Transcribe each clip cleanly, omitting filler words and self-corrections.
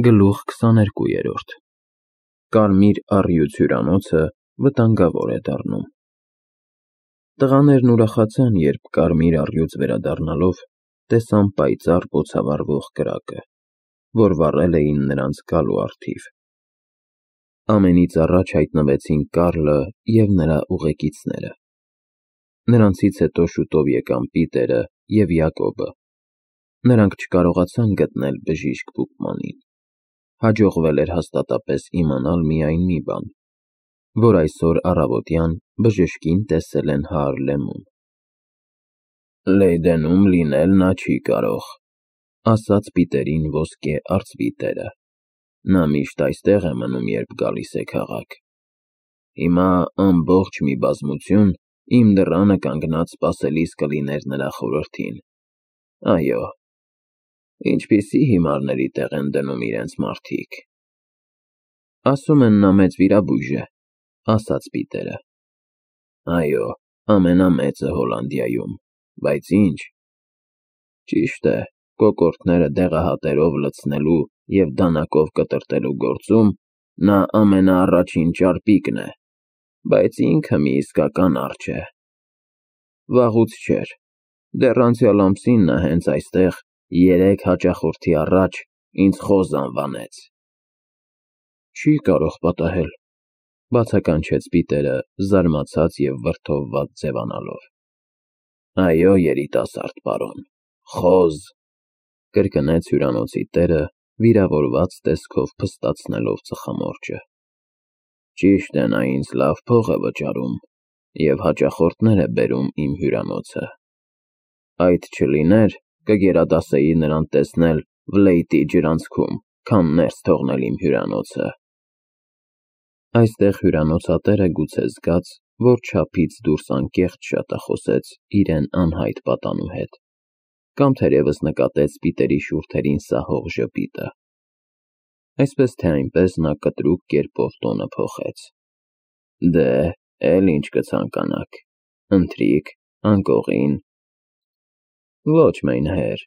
Գլուխ 22 Կարմիր առյուծ հյուրանոցը վտանգավոր է դառնում։ Տղաներն ուրախացան, երբ կարմիր առյուծ վերադառնալով տեսան պայծառ բոցավառվող կրակը, որ վառել էին նրանց գալու առթիվ։ Ամենից առաջ հայտնվեցին Կարլը և նրա ուղեկիցները։ Նրանցից հետո շուտով եկան Պիտերը և Յակոբը։ Նրանք չկարողացան գտնել բժիշկ Բուկմանին։ Հաջողվել էր հաստատապես իմանալ միայն մի բան, որ այսօր առավոտյան բժշկին տեսել են Հարլեմում։ Լեյդենում լինել նա չի կարող, ասաց Պիտերին ոսկե արծվի տերը։ Նա միշտ այստեղ է մնում, երբ գալիս է քաղաք։ Հիմա ամբողջ մի բազմություն իմ դռանը կանգնած սպասելիս կլիներ նրա խորհրդին։ Այո, ինչպիսի հիմարների տեղ են դնում իրենց մարդիկ։ Ասում են նա մեծ վիրաբույժ է, ասաց Պիտերը։ Այո, ամենամեծը Հոլանդիայում, բայց ինչ։ Ճիշտ է, կոկորդները դեղահատերով լցնելու և դանակով կտրատելու գործում նա ամենաառաջին ճարպիկն է, բայց ինքը մի իսկական արջ է։ Վաղուց չէր, դեռ անցյալ ամսին նա հենց այստեղ 3 հաճախորդի առաջ ինձ խոզ անվանեց։ Չի կարող պատահել, բացականչեց Պիտերը, զարմացած և վրդովված ձևանալով։ Այո, երիտասարդ պարոն, խոզ, կրկնեց հյուրանոցի տերը, վիրավորված տեսքով փստացնելով ծխամորճը։ Ճիշտ է, նա ինձ լավ փող է վճարում և հաճախորդներ է բերում իմ հյուրանոցը։ Այդ չլիներ, կգերադասեի նրան տեսնել Վլեյտի ջրանցքում, քան ներս թողնել իմ հյուրանոցը։ Այստեղ հյուրանոցատերը գուցե զգաց, որ չափից դուրս անկեղծ շատախոսեց իրեն անհայտ պատանու հետ, կամ թերևս նկատեց Պիտերի շուրթերին սահող ժպիտը։ Այսպես թե այնպես նա կտրուկ կերպով տոնը փոխեց։ Դե, էլ ինչ կցանկանաք, ընթրիք, անկողին։ Ոչ, մայնհեր,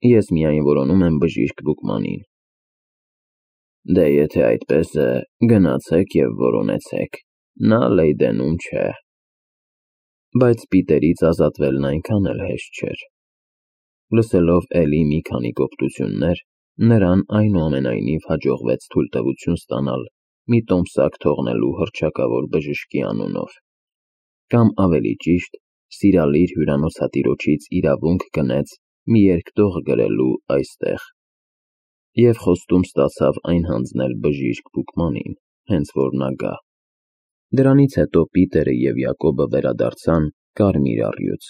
ես միայն որոնում եմ բժիշկ Բուկմանին։ Դե, եթե այդպես է, գնացեք և որոնեցեք, նա Լեյդենում չէ։ Բայց Պիտերից ազատվելն այնքան էլ հեշտ չէր։ Լսելով էլի մի քանի կոպտություններ, նրան այնուամենայնիվ հաջողվեց թույլտվություն ստանալ մի տոմսակ թողնելու հռչակավոր բժշկի անունով, կամ ավելի ճիշտ, սիրալիր հյուրանոցատիրոջից իրավունք գնեց մի երկտող գրելու այստեղ, և խոստում ստացավ այն հանձնել բժիշկ Բուկմանին, հենց որ նա գա։ Դրանից հետո Պիտերը և Յակոբը վերադարձան կարմիր առյուծ։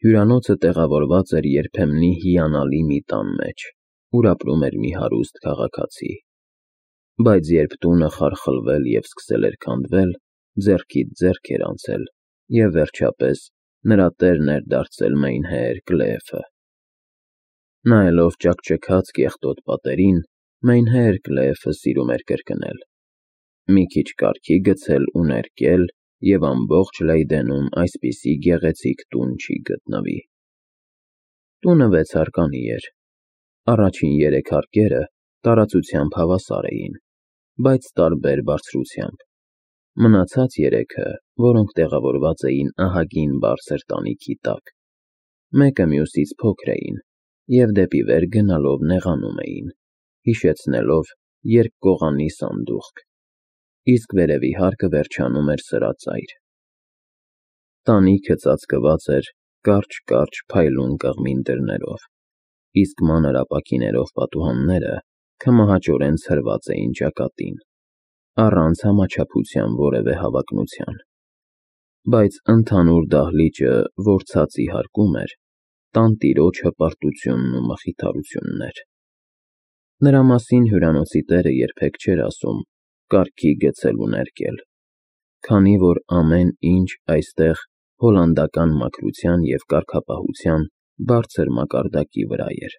Հյուրանոցը տեղավորված էր երբեմնի հիանալի մի տան մեջ, ուր ապրում էր մի հարուստ քաղաքացի։ Բայց երբ տունը խարխլվել և սկսել էր քանդվել, ձեռքից ձեռք էր անցել, և վերջապես նրա տերն էր դարձել Մայնհեր Կլեефը։ Նայելով ճաքճքած կեղտոտ պատերին, Մայնհեր Կլեефը սիրում էր կրկնել. Մի քիչ կարգի գցել ու ներկել, և ամբողջ Լեյդենում այսպիսի գեղեցիկ տուն չի գտնվի։ Տունը 6-հարկանի էր։ Առաջին 3 հարկերը տարածությամբ հավասար էին, բայց տարբեր բարձրությամբ։ Մնացած 3-ը, որոնք տեղավորված էին ահագին բարձր տանիքի տակ, մեկը մյուսից փոքր էին և դեպի վեր գնալով նեղանում էին, հիշեցնելով երկկողանի սանդուղք, իսկ վերևի հարկը վերջանում էր սրածայր։ Տանիքը ծածկված էր կարճ փայլուն կղմին դռներով, իսկ մանր ապակիներով պատուհանները քմահաճորեն ցրված էին ճակատին, առանց համաչափության որևէ հավակնության։ Բայց ընդհանուր դահլիճը, որ ցածի հարկում էր, տանտիրոջ հպարտությունն ու մխիթարությունն էր։ Նրա մասին հյուրանոցի տերը երբեք չէր ասում կարգի գցել ու ներկել, քանի որ ամեն ինչ այստեղ հոլանդական մաքրության և կարգապահության բարձր մակարդակի վրա էր։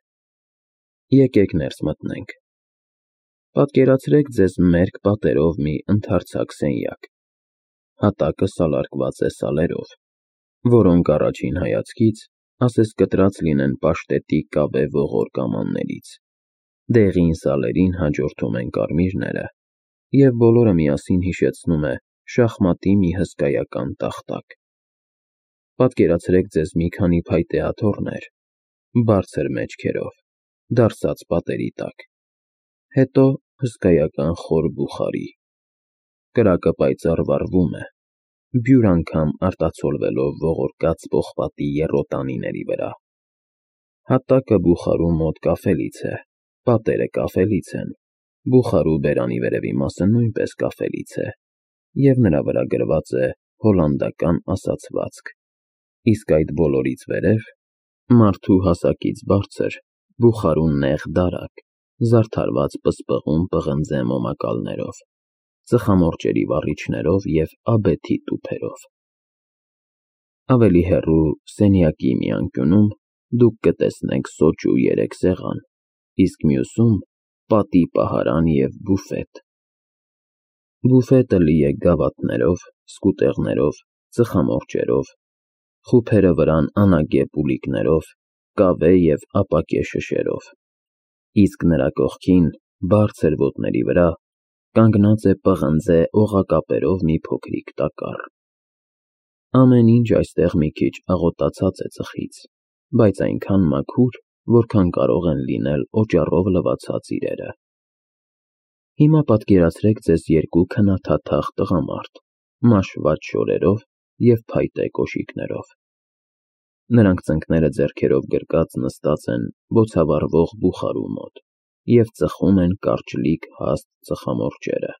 Եկեք ներս մտնենք։ Պատկերացրեք ձեզ մերկ պատերով մի ընդարձակ սենյակ։ Հատակը սալարկված է սալերով, որոնք առաջին հայացքից ասես կտրած լինեն պաշտետի կավե ողոր կամաններից։ Դեղին սալերին հաջորդում են կարմիրները, և բոլորը միասին հիշեցնում է շախմատի մի հսկայական տախտակ։ Պատկերացրեք ձեզ մի քանի փայտե աթոռներ, բարձր մեջքերով, դարսած պատերի տակ, հետո հսկայական խոր բուխարի։ Կրակը պայծառ վառվում է, բյուր անգամ արտացոլվելով ողորկած պողպատի եռոտանիների վրա։ Հատակը բուխարու մոտ կաֆելից է, պատերը կաֆելից են, բուխարու բերանի վերևի մասը նույնպես կաֆելից է, և նրա վրա գրված է հոլանդական ասացվածք, իսկ այդ բոլորից վերև, մարդու հասակից բարձր, բուխարու նեղ դարակ, զարդարված պսպղուն պղնձե մոմակալներով, ծխամորճերի վառիչներով և աբեթի տուփերով։ Ավելի հեռու, սենյակի մի անկյունում դուք կտեսնեք սոճու 3 սեղան, իսկ մյուսում՝ պատի պահարան և բուֆետ։ Բուֆետը լի է գավաթներով, սկուտեղներով, ծխամորճերով, խուփերը վրան անագե պուլիկներով, կավե և ապակե շշերով, իսկ նրա կողքին, բարձր ոտների վրա, կանգնած է պղնձե օղակապերով մի փոքրիկ տակառ։ Ամեն ինչ այստեղ մի քիչ աղոտացած է ծխից, բայց այնքան մաքուր, որքան կարող են լինել օճառով լվացած իրերը։ Հիմա պատկերացրեք ձեզ 2 քնաթաթախ տղամարդ, մաշված շորերով և փայտե կոշիկներով։ Նրանք ծնկները ձեռքերով գրկած նստած են բոցավառվող բուխարու մոտ և ծխում են կարճլիկ հաստ ծխամորճերը,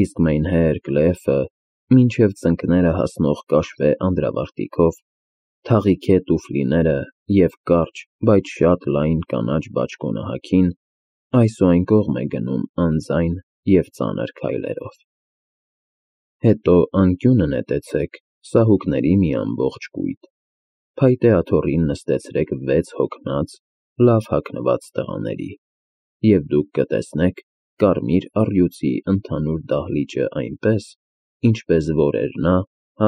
իսկ մայնհեր Կլեֆը մինչև ծնկները հասնող կաշվե անդրավարտիքով, թաղիքե տուֆլիները և կարճ, բայց շատ լայն կանաչ բաճկոնահագին այս ու այն կողմ է գնում անձայն և ծանր քայլերով։ Հետո անկյունը նետեցեք սահուկների մի ամբողջ կույտ, փայտե աթոռին նստեցրեք 6 հոգնած, լավ հագնված տղաների, և դուք կտեսնեք կարմիր առյուծի ընդհանուր դահլիճը այնպես, ինչպես որ էր նա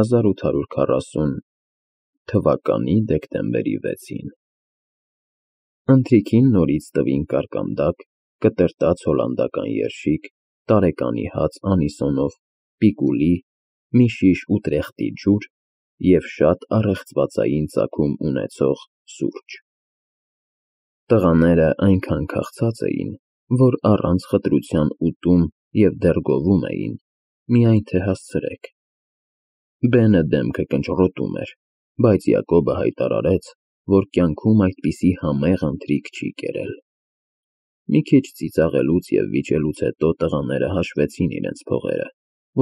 1840 դեկտեմբերի 6-ին։ Ընթրիքին նորից տվին կարկանդակ, կտրտած հոլանդական երշիկ, տարեկանի հաց անիսոնով, պիկուլի, մի շիշ ուտրեխտի ջուր և շատ առեղծվածային ծագում ունեցող սուրճ։ Տղաները այնքան քաղցած էին, որ առանց խտրության ուտում և դեռ գովում էին, միայն թե հասցրեք։ Բենը դեմքը կնճռոտում էր, բայց Յակոբը հայտարարեց, որ կյանքում այդպիսի համեղ ընթրիք չի կերել։ Մի քիչ ծիծաղելուց և վիճելուց հետո տղաները հաշվեցին իրենց փողերը,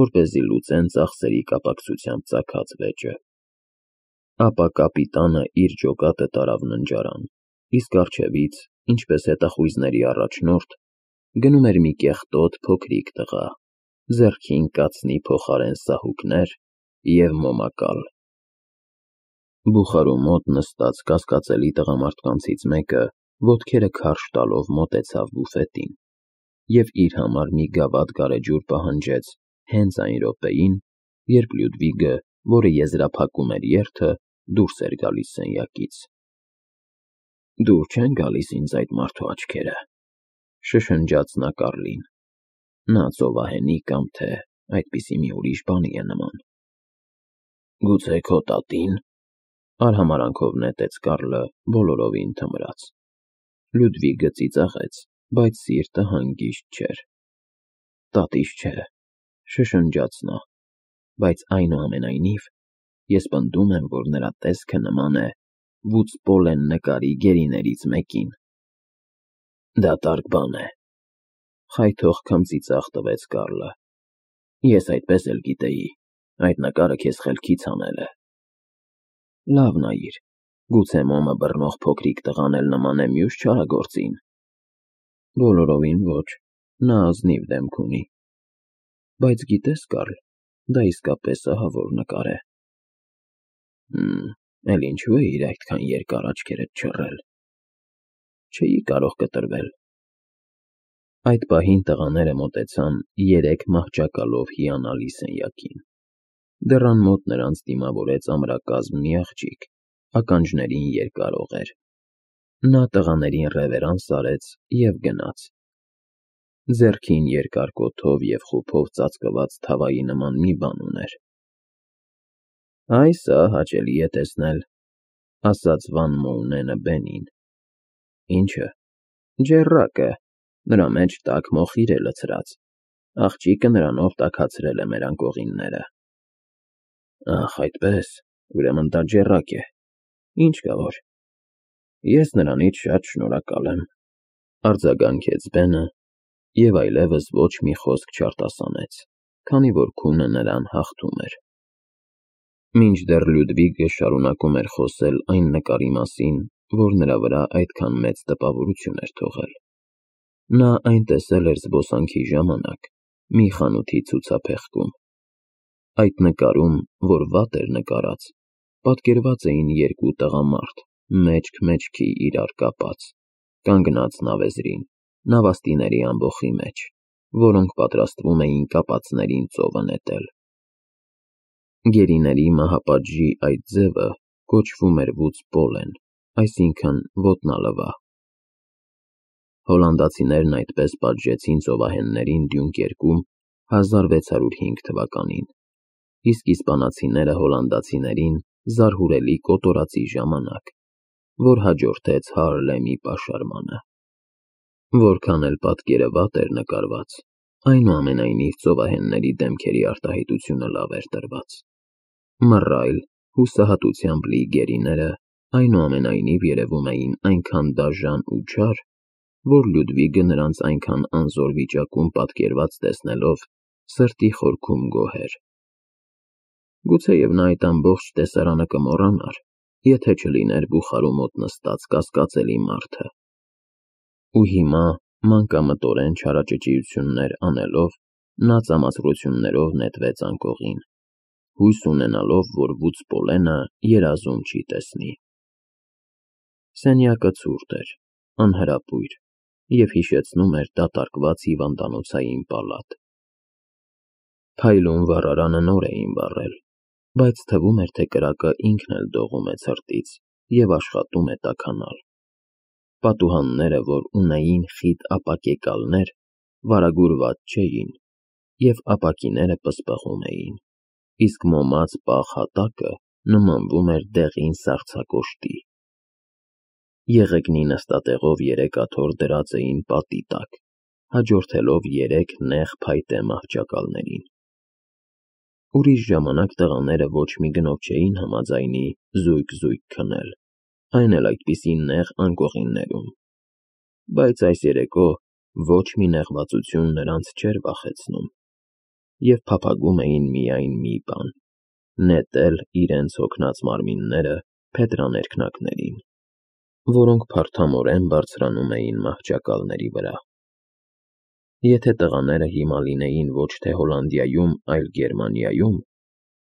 որպեսզի լուծեն ծախսերի կապակցությամբ ծագած վեճը։ Ապա կապիտանը իր ջոկատը տարավ ննջարան, իսկ առջևից, ինչպես հետախույզների առաջնորդ, գնում էր մի կեղտոտ փոքրիկ տղա, ձեռքին կացնի փոխարեն սահուկներ և մոմակալ։ Բուխարու մոտ նստած կասկածելի տղամարդկանցից մեկը ոտքերը քարշ տալով մոտեցավ բուֆետին և իր համար մի գավաթ գարեջուր պահանջեց հենց այն րոպեին, երբ Լյուդվիգը, որը եզրափակում էր երթը, դուրս էր գալիս սենյակից։ «Դուր չեն գալիս ինձ այդ մարդու աչքերը», շշնջաց նա Կառլին։ «Նա ծովահենի կամ թե այդպիսի մի ուրիշ բանի է նման»։ «Գուցե քո տատի՞ն», արհամարհանքով նետեց Կառլը բոլորովին թմրած։ Լյուդվիգը ծիծաղեց, բայց սիրտը հանգիստ չէր։ «Տատիս չէ», շշնջաց նա, «բայց այնուամենայնիվ ես պնդում եմ, որ նրա տեսքը նման է Վուցպոլեն նկարի գերիներից մեկին»։ «Դատարկ բան է», խայթող քմծիծաղ տվեց Կառլը։ «Ես այդպես էլ գիտեի, այդ նկարը քեզ խելքից հանել է»։ «Լավ նայիր, գուցե մոմը բռնող փոքրիկ տղան էլ նման է մյուս չարագործին»։ «Բոլորովին ոչ, նա ազնիվ դեմք ունի։ Բայց գիտես, Կառլ, դա իսկապես ահավոր նկար է»։ Էլ ինչու է իր այդքան երկար աչքերդ չռել։ Չէի կարող կտրվել։ Այդ պահին տղաները մոտեցան 3 մահճակալով հիանալի սենյակին։ Դռան մոտ նրանց դիմավորեց ամրակազմ մի աղջիկ, ականջներին երկար օղեր։ Նա տղաներին ռևերանս արեց և գնաց։ Ձեռքին երկար կոթով և խուփով ծածկված թավայի նման մի բան ուներ։ «Այ սա հաճելի է տեսնել», ասաց Վան Մոունենը Բենին։ «Ի՞նչը»։ «Ջեռակը, նրա մեջ տաք մոխիր է լցրած, աղջիկը նրանով տաքացրել է մեր անկողինները»։ «Ախ, այդպես, ուրեմն դա ջեռակ է, ինչ կա որ։ Ես նրանից շատ շնորհակալ եմ», արձագանքեց Բենը և այլևս ոչ մի խոսք չարտասանեց, քանի որ քունը նրան հաղթում էր։ Մինչդեռ Լյուդվիգը շարունակում էր խոսել այն նկարի մասին, որ նրա վրա այդքան մեծ տպավորություն էր թողել։ Նա այն տեսել էր զբոսանքի ժամանակ մի խանութի ցուցափեղկում։ Այդ նկարում, որ վատ էր նկարած, պատկերված էին երկու տղամարդ, մեջք-մեջքի իրար կապած, կանգնած նավեզրին, նավաստիների ամբոխի մեջ, որոնք պատրաստվում էին կապածներին ծովը նետել։ Գերիների մահապատժի այդ ձևը կոչվում էր վուծպոլեն, այսինքն ոտնալվա։ Հոլանդացիներն այդպես պատժեցին ծովահեններին Դյունկերկում 1605 թվականին, իսկ իսպանացիները հոլանդացիներին զարհուրելի կոտորածի ժամանակ, որ հաջորդեց Հարլեմի պաշարմանը։ Որքան էլ պատկերը վատ էր նկարված, այնուամենայնիվ ծովահենների դեմքերի արտահայտությունը լավ էր տրված։ Մռայլ, հուսահատությամբ լի գերիները այնուամենայնիվ երևում էին այնքան դաժան ու չար, որ Լյուդվիգը նրանց այնքան անզոր վիճակում պատկերված տեսնելով սրտի խորքում գոհեր։ Գուցեև նա այդ ամբողջ տեսարանը կմոռանար, եթե չլիներ բուխարու մոտ նստած կասկածելի մարդը։ Ու հիմա, մանկամտորեն չարաճճիություններ անելով, նա ծամացրություններով նետվեց անկողին, հույս ունենալով, որ վուծպոլենը երազում չի տեսնի։ Սենյակը ցուրտ էր, անհրապույր և հիշեցնում էր դատարկված հիվանդանոցային պալատ։ Փայլուն վառարանը նոր էին վառել, բայց թվում էր, թե կրակը ինքն էլ դողում է ցրտից և աշխատում է տաքանալ։ Պատուհանները, որ ունեին խիտ ապակեկալներ, վարագուրված չէին, և ապակիները պսպղում էին, իսկ մոմած պաղ հատակը նմանվում էր դեղին սառցակոշտի։ Եղեգնի նստատեղով 3 աթոռ դրած էին պատի տակ, հաջորդելով 3 նեղ փայտե մահճակալներին։ Ուրիշ ժամանակ տղաները ոչ մի գնով չէին համաձայնի զույգ-զույգ քնել, այն էլ այդպիսի նեղ անկողիններում, բայց այս երեկո ոչ մի նեղվածություն նրանց չէր վախեցնում, և փափագում էին միայն մի բան՝ նետել իրենց հոգնած մարմինները փետրաներկնակներին, որոնք փարթամորեն բարձրանում էին մահճակալների վրա։ Եթե տղաները հիմա լինեին ոչ թե Հոլանդիայում, այլ Գերմանիայում,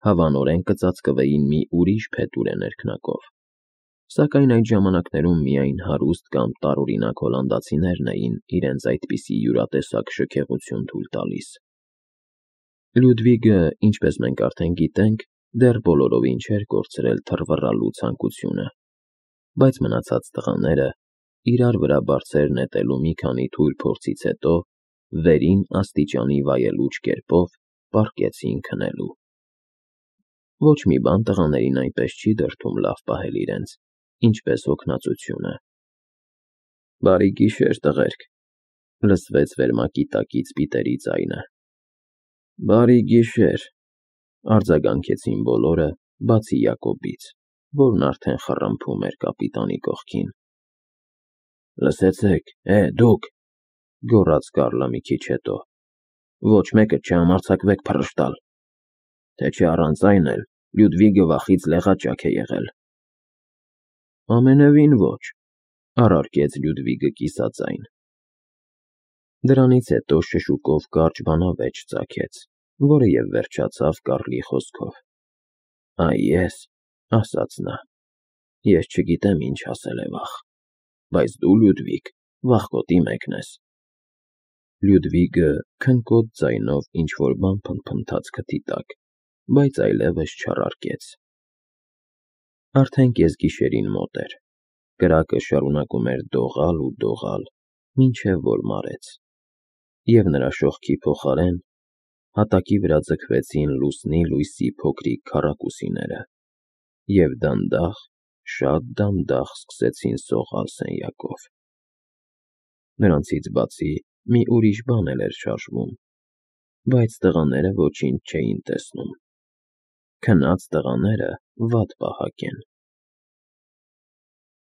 հավանորեն կծածկվեին մի ուրիշ փետուրե ներքնակով, սակայն այդ ժամանակներում միայն հարուստ կամ տարօրինակ հոլանդացիներն էին իրենց այդպիսի յուրատեսակ շքեղություն թույլ տալիս։ Լյուդվիգը, ինչպես մենք արդեն գիտենք, դեռ բոլորովին չէր կորցրել թռվռալու ցանկությունը, բայց մնացած տղաները, իրար վրա բարձր նետելու մի քանի թույլ փորձից հետո, վերին աստիճանի վայելուչ կերպով պառկեցին քնելու։ Ոչ մի բան տղաներին այնպես չի դրդում լավ պահել իրենց, ինչպես հոգնածությունը։ «Բարի գիշեր, տղերք», լսվեց վերմակի տակից Պիտերի ձայնը։ «Բարի գիշեր», արձագանքեցին բոլորը, բացի Յակոբից, որն արդեն խռմփում էր կապիտանի կողքին։ «Լսեցեք, դուք», գոռաց Կարլը մի քիչ հետո, «ոչ մեկը չհամարձակվեք փռշտալ, թե չէ առանց այն էլ Լյուդվիգը վախից լեղաճակ է եղել»։ «Ամենևին ոչ», առարկեց Լյուդվիգը կիսաձայն։ Դրանից հետո շշուկով կարճ բանավեճ ծագեց, որը և վերջացավ Կարլի խոսքով։ «Այ ես», ասաց նա, «ես չգիտեմ ինչ ասել է վախ, բայց դու, Լյուդվիգ, վախկոտի մեկն ես»։ Լյուդվիգը քնկոտ ձայնով ինչ-որ բան փնթփնթաց քթի տակ, բայց այլևս չառարկեց։ Արդեն կեսգիշերին մոտ էր։ Կրակը շարունակում էր դողալ ու դողալ, մինչև որ մարեց, և նրա շողքի փոխարեն հատակի վրա ձգվեցին լուսնի լույսի փոքրիկ քառակուսիները և դանդաղ, շատ դանդաղ սկսեցին սողալ սենյակով։ Նրանցից բացի մի ուրիշ բան էլ էր շարժվում, բայց տղաները ոչինչ չէին տեսնում։ Քնած տղաները վատ պահակ են։